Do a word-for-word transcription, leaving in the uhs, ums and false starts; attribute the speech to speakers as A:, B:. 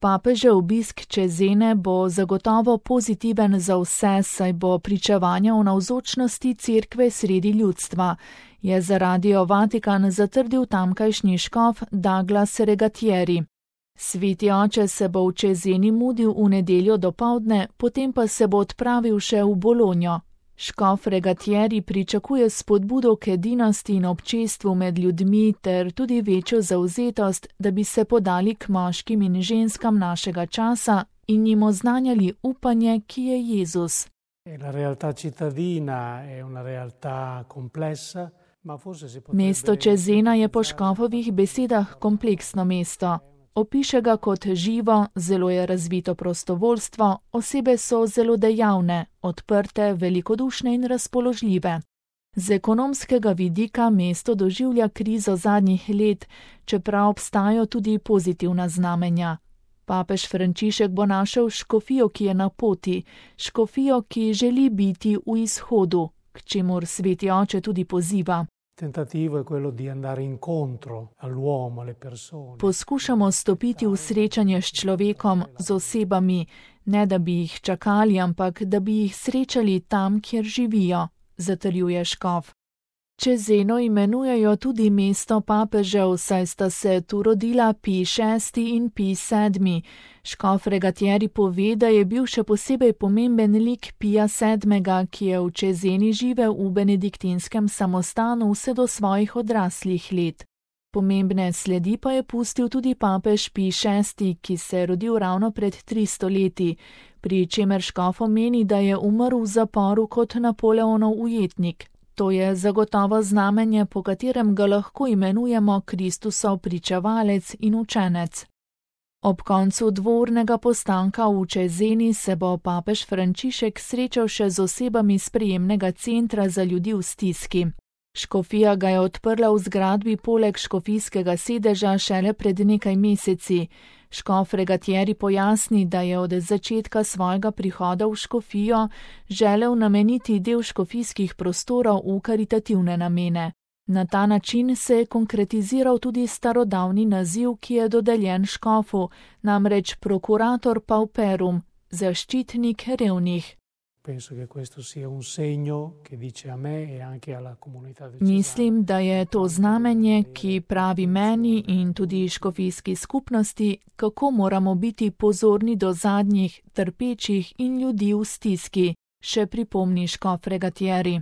A: Papežev obisk Cesene bo zagotovo pozitiven za vse, saj bo pričevanje o navzočnosti cerkve sredi ljudstva, je za Radio Vatikan zatrdil tamkajšnji škof Douglas Regatieri. Sveti oče se bo v Ceseni mudil v nedeljo dopoldne, potem pa se bo odpravil še v Bologno. Škof Regatieri pričakuje spodbudo k edinosti in občestvu med ljudmi ter tudi večjo zavzetost, da bi se podali k moškim in ženskam našega časa in jim oznanjali upanje, ki je Jezus. Mesto Cesena je po škofovih besedah kompleksno mesto. Opiše ga kot živo, zelo je razvito prostovoljstvo, osebe so zelo dejavne, odprte, velikodušne in razpoložljive. Z ekonomskega vidika mesto doživlja krizo zadnjih let, čeprav obstajajo tudi pozitivna znamenja. Papež Frančišek bo našel škofijo, ki je na poti, škofijo, ki želi biti v izhodu, k čemur sveti oče tudi poziva. Poskušamo stopiti v srečanje s človekom, z osebami, ne da bi jih čakali, ampak da bi jih srečali tam, kjer živijo, zatrjuje škof. Ceseno imenujejo tudi mesto papežev, saj sta se tu rodila Pij šesti in Pij sedmi. Škof Regatieri pove, da je bil še posebej pomemben lik Pija sedmega, ki je v Ceseni živel v benediktinskem samostanu vse do svojih odraslih let. Pomembne sledi pa je pustil tudi papež Pij šesti, ki se je rodil ravno pred tristo leti, pri čemer škof omeni, da je umrl v zaporu kot Napoleonov ujetnik. To je zagotovo znamenje, po katerem ga lahko imenujemo Kristusov pričevalec in učenec. Ob koncu dvournega postanka v Ceseni se bo papež Frančišek srečal še z osebami sprejemnega centra za ljudi v stiski. Škofija ga je odprla v zgradbi poleg škofijskega sedeža šele pred nekaj meseci. Škof Regatieri pojasni, da je od začetka svojega prihoda v škofijo želel nameniti del škofijskih prostorov v karitativne namene. Na ta način se je konkretiziral tudi starodavni naziv, ki je dodeljen škofu, namreč prokurator pauperum, zaščitnik revnih. Mislim, da je to znamenje, ki pravi meni in tudi škofijski skupnosti, kako moramo biti pozorni do zadnjih, trpečih in ljudi v stiski, še pripomni škof Regatieri.